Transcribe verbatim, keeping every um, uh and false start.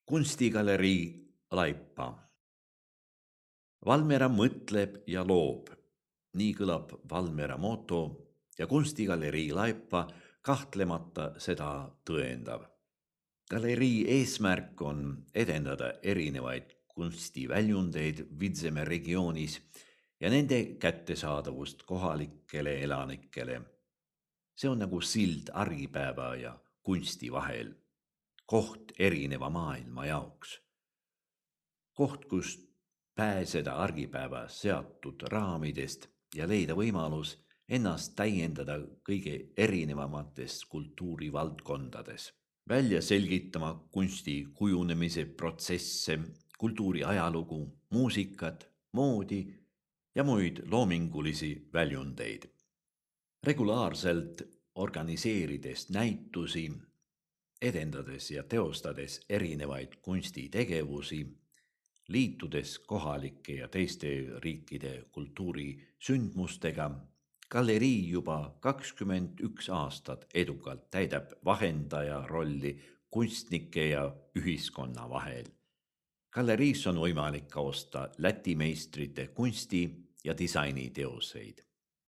Kunstigalerii Laipa. Valmiera mõtleb ja loob. Nii kõlab Valmiera moto ja kunstigalerii Laipa kahtlemata seda tõendav. Galerii eesmärk on edendada erinevaid kunstiväljundeid Vidzeme regioonis ja nende kättesaadavust kohalikele elanikele. See on nagu sild argipäeva ja kunsti vahel. Koht erineva maailma jaoks. Koht, kus pääseda argipäeva seatud raamidest ja leida võimalus ennast täiendada kõige erinevamates kultuurivaldkondades. Välja selgitama kunsti kujunemise protsesse, kultuuri ajalugu, muusikat, moodi ja muid loomingulisi väljundeid. Regulaarselt organiseerides näitusi, edendades ja teostades erinevaid kunstitegevusi, liitudes kohalike ja teiste riikide kultuurisündmustega, galerii juba kakskümmend üks aastat edukalt täidab vahendaja rolli kunstnike ja ühiskonna vahel. Galeriis on võimalik osta Läti meistrite kunsti- ja disainiteoseid.